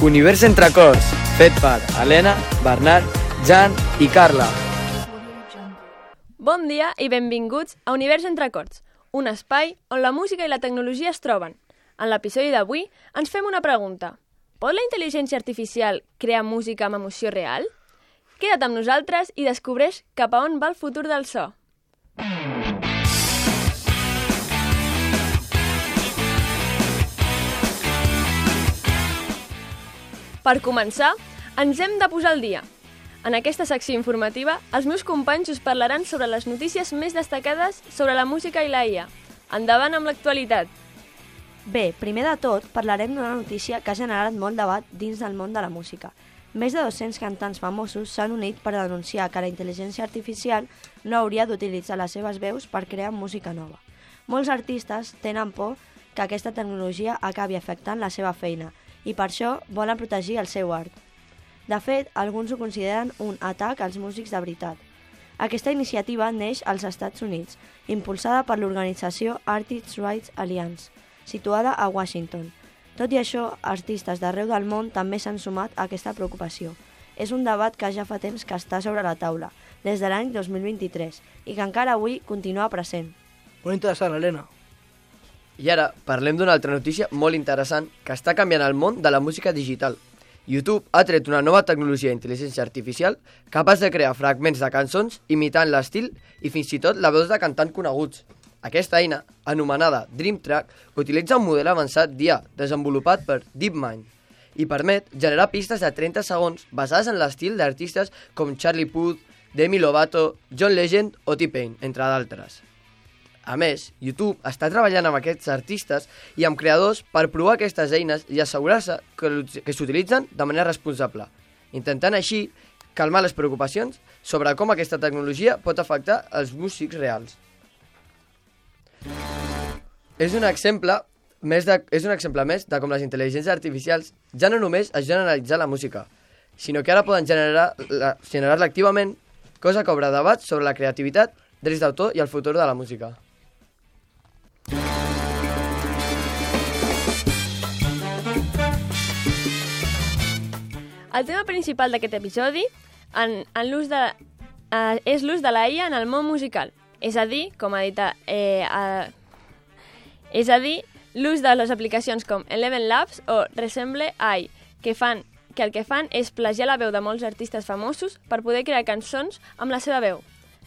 Univers entre acords, fet per Helena, Bernat, Jan i Carla. Bon dia i benvinguts a Univers entre acords, un espai on la música i la tecnologia es troben. En l'episodi d'avui ens fem una pregunta. Pot la intel·ligència artificial crear música amb emoció real? Queda't amb nosaltres i descobreix cap a on va el futur del so. Per començar, ens hem de posar al dia. En aquesta secció informativa, els meus companys us parlaran sobre les notícies més destacades sobre la música i la IA. Endavant amb l'actualitat. Bé, primer de tot, parlarem d'una notícia que ha generat molt debat dins del món de la música. Més de 200 cantants famosos s'han unit per denunciar que la intel·ligència artificial no hauria d'utilitzar les seves veus per crear música nova. Molts artistes tenen por que aquesta tecnologia acabi afectant la seva feina i per això volen protegir el seu art. De fet, alguns ho consideren un atac als músics de veritat. Aquesta iniciativa neix als Estats Units, impulsada per l'organització Artists' Rights Alliance, situada a Washington. Tot i això, artistes d'arreu del món també s'han sumat a aquesta preocupació. És un debat que ja fa temps que està sobre la taula, des de l'any 2023, i que encara avui continua present. Molt interessant, Helena. I ara parlem d'una altra notícia molt interessant que està canviant el món de la música digital. YouTube ha tret una nova tecnologia d'intel·ligència artificial capaç de crear fragments de cançons imitant l'estil i fins i tot la veus de cantants coneguts. Aquesta eina, anomenada Dream Track, utilitza un model avançat d'IA desenvolupat per DeepMind i permet generar pistes de 30 segons basades en l'estil d'artistes com Charlie Puth, Demi Lovato, John Legend o T-Pain, entre d'altres. A més, YouTube està treballant amb aquests artistes i amb creadors per provar aquestes eines i assegurar-se que s'utilitzen de manera responsable, intentant així calmar les preocupacions sobre com aquesta tecnologia pot afectar els músics reals. És un exemple més de com les intel·ligències artificials ja no només ajuden a analitzar la música, sinó que ara poden generar-la activament, cosa que obre debats sobre la creativitat, drets d'autor i el futur de la música. El tema principal d'aquest episodi és l'ús de la IA en el món musical. És a dir, l'ús de les aplicacions com Eleven Labs o Resemble AI, que el que fan és plagiar la veu de molts artistes famosos per poder crear cançons amb la seva veu.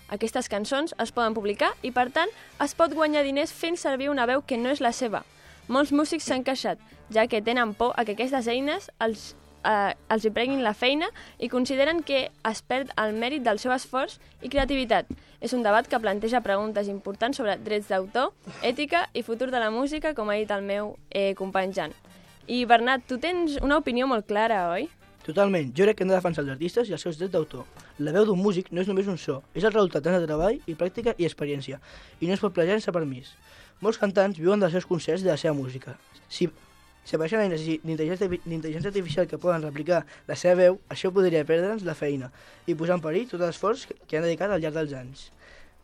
Aquestes cançons es poden publicar i, per tant, es pot guanyar diners fent servir una veu que no és la seva. Molts músics s'han queixat, ja que tenen por a que aquestes eines els hi prenguin la feina i consideren que es perd el mèrit del seu esforç i creativitat. És un debat que planteja preguntes importants sobre drets d'autor, ètica i futur de la música, com ha dit el meu company Jan. I Bernat, tu tens una opinió molt clara, oi? Totalment. Jo crec que hem de defensar els artistes i els seus drets d'autor. La veu d'un músic no és només un so, és el resultat de treball i pràctica i experiència, i no es pot plagiar sense permís. Molts cantants viuen dels seus concerts i de la seva música. Si apareixen eines d'intel·ligència artificial que poden replicar la seva veu, això podria perdre'ns la feina i posar en perill tot l'esforç que han dedicat al llarg dels anys.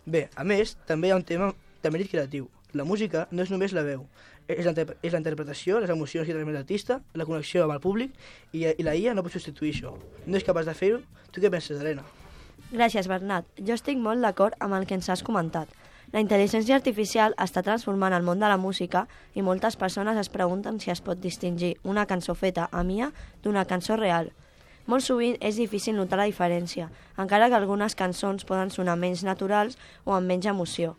Bé, a més, també hi ha un tema de mèrit creatiu. La música no és només la veu, és la interpretació, les emocions que transmet l'artista, la connexió amb el públic i la IA no pot substituir això. No és capaç de fer-ho. Tu què penses, Helena? Gràcies, Bernat. Jo estic molt d'acord amb el que ens has comentat. La intel·ligència artificial està transformant el món de la música i moltes persones es pregunten si es pot distingir una cançó feta amb IA d'una cançó real. Molt sovint és difícil notar la diferència, encara que algunes cançons poden sonar menys naturals o amb menys emoció.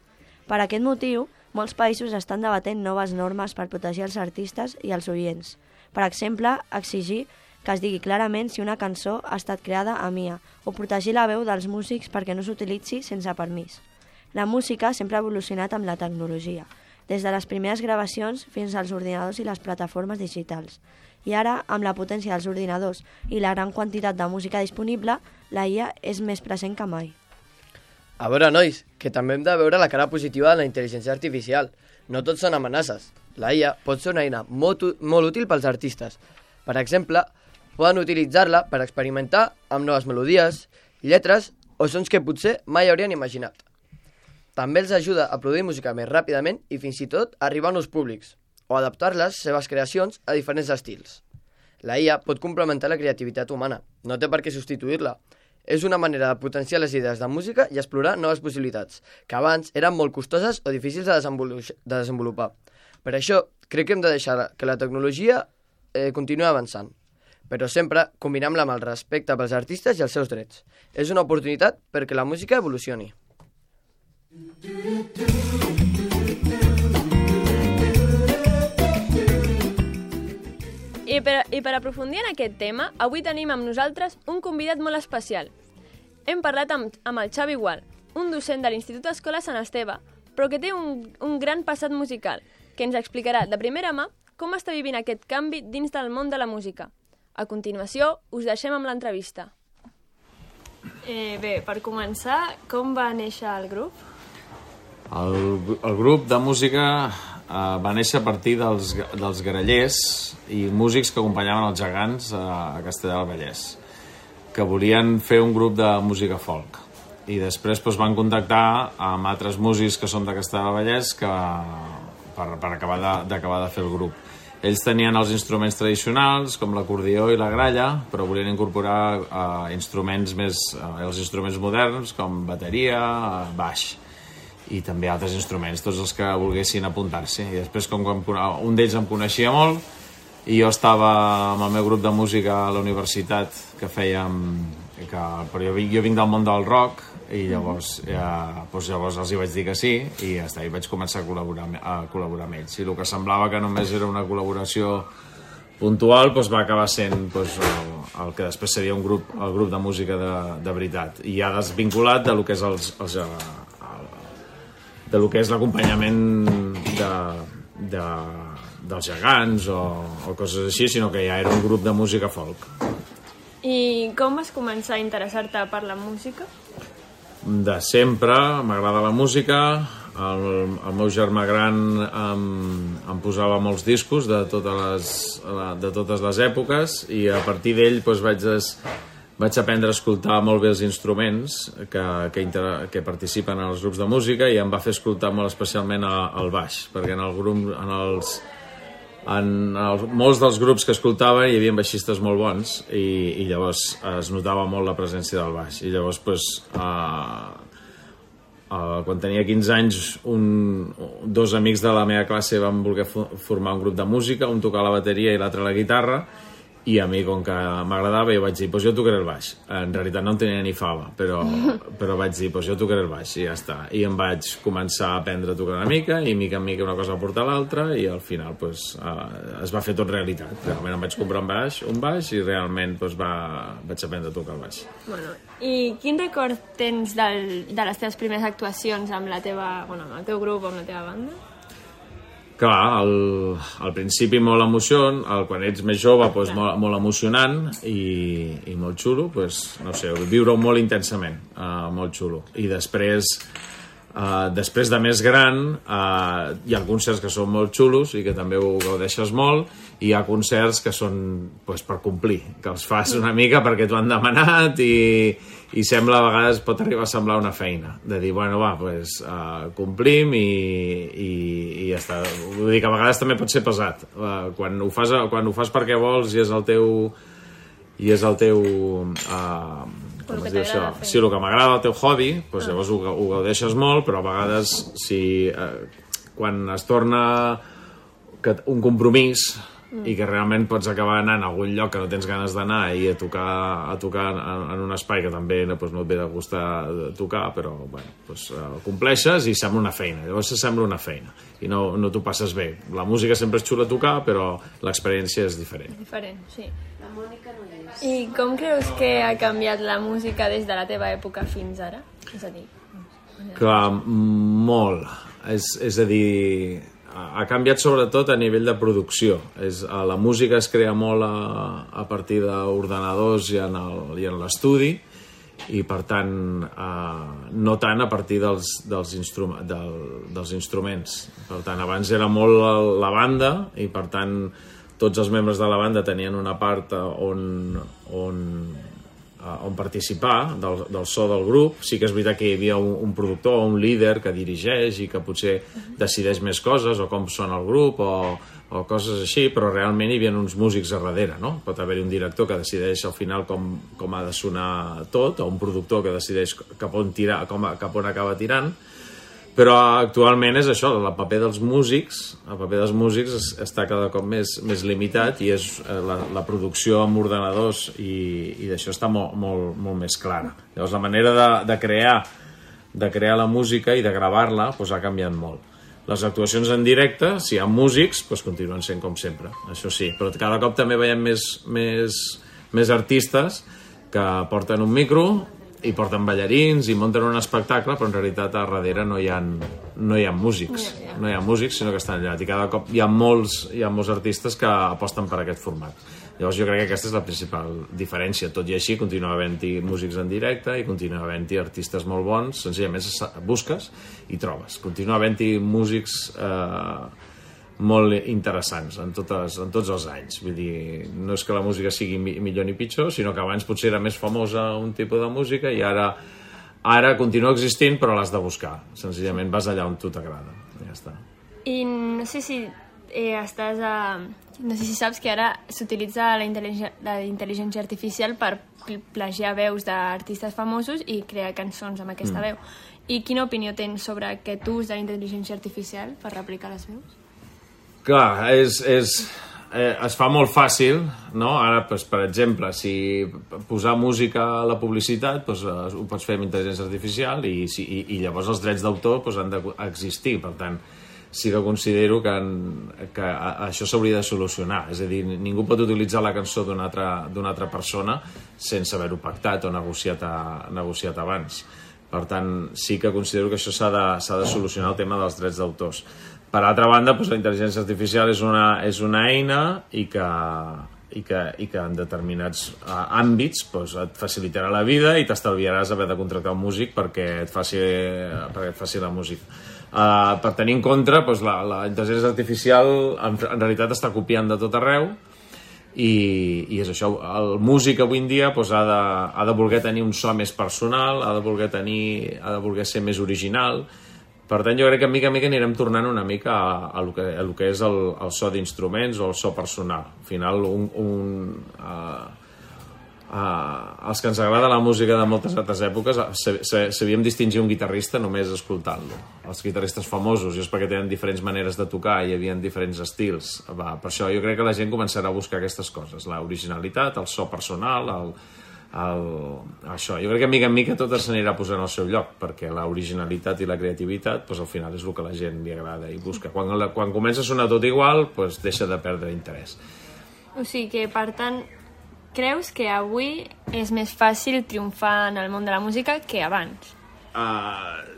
Per aquest motiu, molts països estan debatent noves normes per protegir els artistes i els oients. Per exemple, exigir que es digui clarament si una cançó ha estat creada amb IA o protegir la veu dels músics perquè no s'utilitzi sense permís. La música sempre ha evolucionat amb la tecnologia, des de les primeres gravacions fins als ordinadors i les plataformes digitals. I ara, amb la potència dels ordinadors i la gran quantitat de música disponible, la IA és més present que mai. A veure, nois, que també hem de veure la cara positiva de la intel·ligència artificial. No tots són amenaces. La IA pot ser una eina molt útil pels artistes. Per exemple, poden utilitzar-la per experimentar amb noves melodies, lletres o sons que potser mai haurien imaginat. També els ajuda a produir música més ràpidament i fins i tot a arribar a nous públics, o adaptar les seves creacions a diferents estils. La IA pot complementar la creativitat humana, no té per què substituir-la. És una manera de potenciar les idees de música i explorar noves possibilitats, que abans eren molt costoses o difícils de desenvolupar. Per això, crec que hem de deixar que la tecnologia continuï avançant, però sempre combinant-la amb el respecte pels artistes i els seus drets. És una oportunitat perquè la música evolucioni. I per aprofundir en aquest tema, avui tenim amb nosaltres un convidat molt especial. Hem parlat amb el Xavi Gual, un docent de l'Institut Escola Sant Esteve, però que té un gran passat musical, que ens explicarà de primera mà com està vivint aquest canvi dins del món de la música. A continuació, us deixem amb l'entrevista. Bé, per començar, com va néixer el grup? El grup de música va néixer a partir dels grallers i músics que acompanyaven els gegants a Castellar del Vallès, que volien fer un grup de música folk. I després van contactar amb altres músics que són de Castellar del Vallès per acabar de fer el grup. Ells tenien els instruments tradicionals, com l'acordió i la gralla, però volien incorporar instruments moderns, com bateria, baix, i també altres instruments, tots els que volguessin apuntar-s'hi. I després, com un d'ells em coneixia molt, i jo estava amb el meu grup de música a la universitat que fèiem... Però jo vinc del món del rock, i llavors els hi vaig dir que sí, i ja està, i vaig començar a col·laborar amb ells. I el que semblava que només era una col·laboració puntual va acabar sent el que després seria el grup de música de veritat, i ja desvinculat de lo que és de lo que és l'acompanyament dels gegants o coses així, sinó que ja era un grup de música folk. I com vas començar a interessar-te per la música? De sempre, m'agrada la música. El meu germà gran em posava molts discos de totes les èpoques, i a partir d'ell vaig aprendre a escoltar molt bé els instruments que participen en els grups de música, i em va fer escoltar molt especialment el baix, perquè en molts dels grups que escoltava hi havia baixistes molt bons, i llavors es notava molt la presència del baix. I llavors quan tenia 15 anys dos amics de la meva classe van voler formar un grup de música, un tocava la bateria i l'altre la guitarra, i a mi, com que m'agradava, jo vaig dir, jo tocaré el baix. En realitat no en tenia ni fava, però vaig dir, jo tocaré el baix, i ja està. I em vaig començar a aprendre a tocar una mica, i mica en mica una cosa va portar l'altra, i al final es va fer tot realitat. Realment em vaig comprar un baix i realment vaig aprendre a tocar el baix. I quin record tens de les teves primeres actuacions amb el teu grup o amb la teva banda? Clar, al principi molt emoció, quan ets més jove molt emocionant i molt xulo, no sé, viure-ho molt intensament, molt xulo. I després de més gran hi ha concerts que són molt xulos i que també ho gaudeixes molt, i hi ha concerts que són per complir, que els fas una mica perquè t'ho han demanat, i sembla, a vegades pot arribar a semblar una feina, de dir, complim i ja està. Vull dir que a vegades també pot ser pesat, quan ho fas perquè vols i és el teu si el que m'agrada el teu hobby, llavors ho gaudeixes molt, però a vegades quan es torna un compromís i que realment pots acabar anant a algun lloc que no tens ganes d'anar i a tocar en un espai que també no et ve de gustar tocar, però ho compleixes i sembla una feina. Llavors sembla una feina i no t'ho passes bé. La música sempre és xula a tocar, però l'experiència és diferent. Diferent, sí. La Mònica no és. I com creus que ha canviat la música des de la teva època fins ara? És a dir... Clar, molt. És a dir... Ha canviat sobretot a nivell de producció. La música es crea molt a partir d'ordenadors i en l'estudi, i per tant no tant a partir dels instruments. Per tant, abans era molt la banda, i per tant tots els membres de la banda tenien una part on on participar del so del grup. Sí que és veritat que hi havia un productor o un líder que dirigeix i que potser decideix més coses, o com sona el grup, o coses així, però realment hi havia uns músics a darrere, no? Pot haver-hi un director que decideix al final com ha de sonar tot, o un productor que decideix cap on acaba tirant, però actualment és això, el paper dels músics està cada cop més limitat, i és la producció amb ordenadors i d'això està molt més clara. Llavors la manera de crear la música i de gravar-la ha canviat molt. Les actuacions en directe, si hi ha músics, continuen sent com sempre, això sí, però cada cop també veiem més artistes que porten un micro i porten ballarins i munten un espectacle, però en realitat a darrere no hi ha músics, sinó que estan allà, i cada cop hi ha molts artistes que aposten per aquest format. Llavors jo crec que aquesta és la principal diferència. Tot i així continua havent-hi músics en directe i continua havent-hi artistes molt bons, senzillament busques i trobes. Continua havent-hi músics molt interessants en tots els anys. Vull dir, no és que la música sigui millor ni pitjor, sinó que abans potser era més famosa un tipus de música i ara continua existint, però l'has de buscar. Senzillament vas allà on tu t'agrada. Ja està. I no sé si no sé si saps que ara s'utilitza la intel·ligència artificial per plagiar veus d'artistes famosos i crear cançons amb aquesta veu. I quina opinió tens sobre aquest ús de la intel·ligència artificial per replicar les veus? Clar, es fa molt fàcil, no? Ara, per exemple, si posar música a la publicitat, ho pots fer amb intel·ligència artificial i llavors els drets d'autor han d'existir. Per tant, sí que considero que això s'hauria de solucionar. És a dir, ningú pot utilitzar la cançó d'una altra persona sense haver-ho pactat o negociat abans. Per tant, sí que considero que això s'ha de solucionar el tema dels drets d'autors. Per altra banda, la intel·ligència artificial és una eina i que en determinats àmbits et facilitarà la vida i t'estalviaràs haver de contractar un músic perquè et faci la música. Per tenir en compte, la intel·ligència artificial en realitat està copiant de tot arreu i és això, el músic avui en dia ha de voler tenir un so més personal, ha de voler ser més original. Per tant, jo crec que mica en mica anirem tornant una mica a lo que és el so d'instruments o el so personal. Al final, els que ens agrada la música de moltes altres èpoques sabíem distingir un guitarrista només escoltant-lo. Els guitarristes famosos és perquè tenen diferents maneres de tocar i hi havia diferents estils. Per això jo crec que la gent començarà a buscar aquestes coses, l'originalitat, el so personal, això. Jo crec que mica en mica tot s'anirà posant al seu lloc, perquè l'originalitat i la creativitat al final és el que a la gent li agrada i busca. Quan comença a sonar tot igual, deixa de perdre interès. O sigui que, per tant, creus que avui és més fàcil triomfar en el món de la música que abans?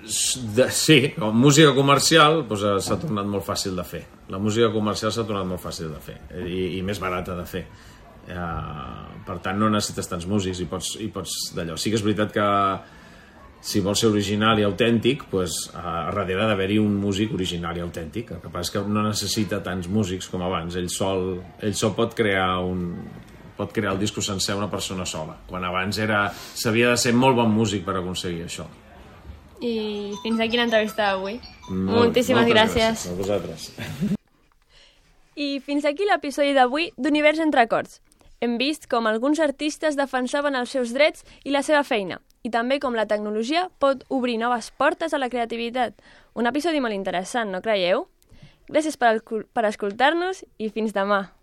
Sí, com música comercial s'ha tornat molt fàcil de fer. La música comercial s'ha tornat molt fàcil de fer i més barata de fer. Per tant, no necessites tants músics i pots d'allò. Sí que és veritat que si vols ser original i autèntic, a darrere ha d'haver-hi un músic original i autèntic. El que passa és que no necessita tants músics com abans. Ell sol pot crear el disco sencer una persona sola, quan abans s'havia de ser molt bon músic per aconseguir això. I fins aquí l'entrevista d'avui. Moltíssimes gràcies. A vosaltres. I fins aquí l'episodi d'avui d'Univers entre acords. Hem vist com alguns artistes defensaven els seus drets i la seva feina, i també com la tecnologia pot obrir noves portes a la creativitat. Un episodi molt interessant, no creieu? Gràcies per escoltar-nos i fins demà.